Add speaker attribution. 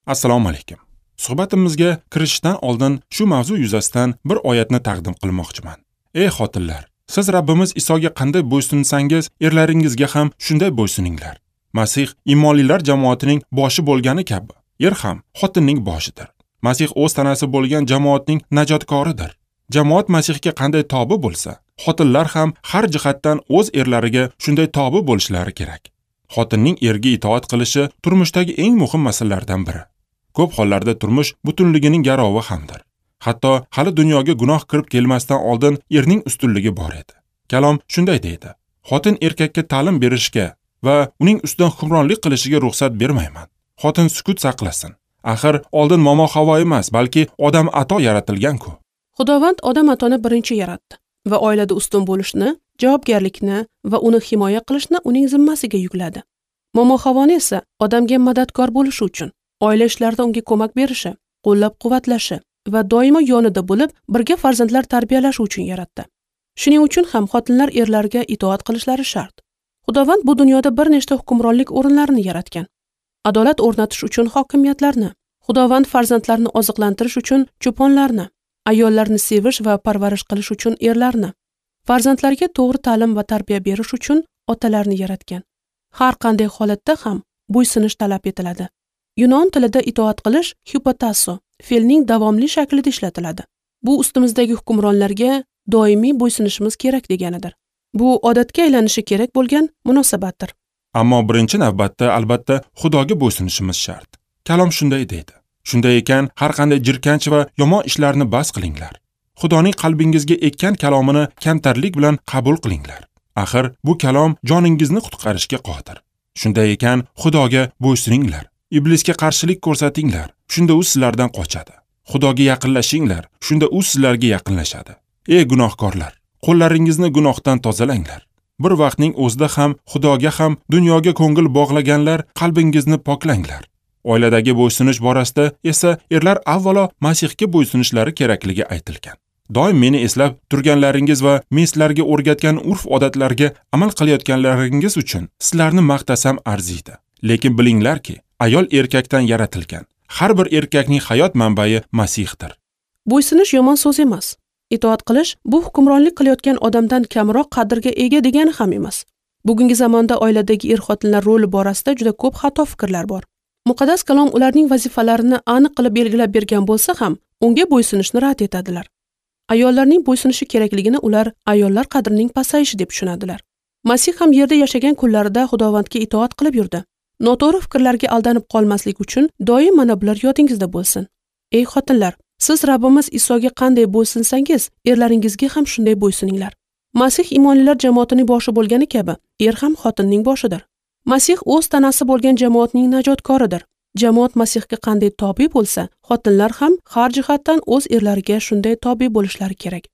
Speaker 1: Assalomu alaykum. Suhbatimizga kirishdan oldin shu mavzu yuzasidan bir oyatni taqdim qilmoqchiman. Ey xotinlar, siz Rabbimiz Isoga qanday bo'ysunsangiz, erlaringizga ham shunday bo'ysuninglar. Masih iymonlilar jamoatining boshi bo'lgani kabi, er ham xotinning boshidir. Masih o'z tanasi bo'lgan jamoatning najotkoridir. Jamoat Masihga qanday tobi bo'lsa, xotinlar ham har jihatdan o'z erlariga shunday tobi bo'lishlari kerak. Xotinning erga itoat qilishi turmushdagi eng muhim masalalardan biri. Ko'p hollarda turmush butunligining garovi hamdir. Hatto hali dunyoga gunoh kirib kelmasdan oldin erning ustunligi bor edi. Kalom shunday deydi: Xotin erkakka ta'lim berishga va uning ustidan hukmronlik qilishiga ruxsat bermayman. Xotin sukut saqlasin. Axir oldin momo Havo emas, balki odam ato yaratilgan-ku.
Speaker 2: Xudovand odam atoni birinchi yaratdi va oilada ustun bo'lishni, javobgarlikni va uni himoya qilishni uning zimmasiga yukladi. Momo Havoni esa odamga madadkor bo'lishi uchun oila ishlarida unga ko'mak berishi, qo'llab-quvvatlashi va doimo yonida bo'lib, birga farzandlar tarbiyalashi uchun yaratdi. Shuning uchun ham xotinlar erlarga itoat qilishlari shart. Xudovand bu dunyoda bir nechta hukmronlik o'rinlarini yaratgan. Adolat o'rnatish uchun hokimiyatlarni, Xudovand farzandlarni oziqlantirish uchun cho'ponlarni, ayollarni sevish va parvarish qilish uchun erlarni, farzandlarga to'g'ri ta'lim va tarbiya berish uchun otalarni yaratgan. Har qanday holatda ham bo'ysunish talab etiladi. Yunon tilida itoat qilish hypotasso fe'lning davomli shaklida ishlatiladi. Bu ustimizdagi hukmronlarga doimiy bo'ysunishimiz kerak deganidir. Bu odatga aylanishi kerak bo'lgan munosabatdir.
Speaker 1: Ammo birinchi navbatda albatta Xudoga bo'ysunishimiz shart. Kalom shunday deydi: Shunday ekan, har qanday jirkanch va yomon ishlarni bas qilinglar. Xudoning qalbingizga ekkan kalomini kamtarlik bilan qabul qilinglar. Axir bu kalom joningizni qutqarishga qodir. Shunday ekan, Xudoga bo'ysuninglar. Iblisga qarshilik ko'rsatinglar, shunda u sizlardan qochadi. Xudoga yaqinlashinglar, shunda u sizlarga yaqinlashadi. Ey gunohkorlar, qo'llaringizni gunohdan tozalanglar. Bir vaqtning o'zida ham Xudoga ham dunyoga ko'ngil bog'laganlar, qalbingizni poklanglar. Oiladagi bo'ysunish borasida esa erlar avvalo Masihga bo'ysunishlari kerakligi aytilgan. Doim meni eslab turganlaringiz va men sizlarga o'rgatgan urf-odatlarga amal qilayotganlaringiz uchun sizlarni maqtasam arziydi. Lekin bilinglarki, ayol erkakdan yaratilgan. Har bir erkakning hayot manbai Masihdir.
Speaker 2: Bo'ysunish yomon so'z emas. Itoat qilish bu hukmronlik qilayotgan odamdan kamroq qadrga ega degani ham emas. Bugungi zamonda oiladagi er-xotinlar roli borasida juda ko'p xato fikrlar bor. Muqaddas kalom ularning vazifalarini aniq qilib belgilab bergan bo'lsa ham, unga bo'ysunishni rad etadilar. Ayollarning bo'ysunishi kerakligini ular ayollar qadrining pasayishi deb tushunadilar. Masih ham yerda yashagan kunlarida Xudovandga itoat qilib yurdi. Noto'g'ri fikrlarga aldanib qolmaslik uchun doim mana bular yodingizda bo'lsin. Ey xotinlar, siz Rabbimiz Isoga qanday bo'ysunsangiz, erlaringizga ham shunday bo'ysuninglar. Masih iymonlilar jamoatining boshi bo'lgani kabi, er ham xotinning boshidir. Masih o'z tanasi bo'lgan jamoatning najotkoridir. Jamoat Masihga qanday tobi bo'lsa, xotinlar ham har jihatdan o'z erlariga shunday tobi bo'lishlari kerak.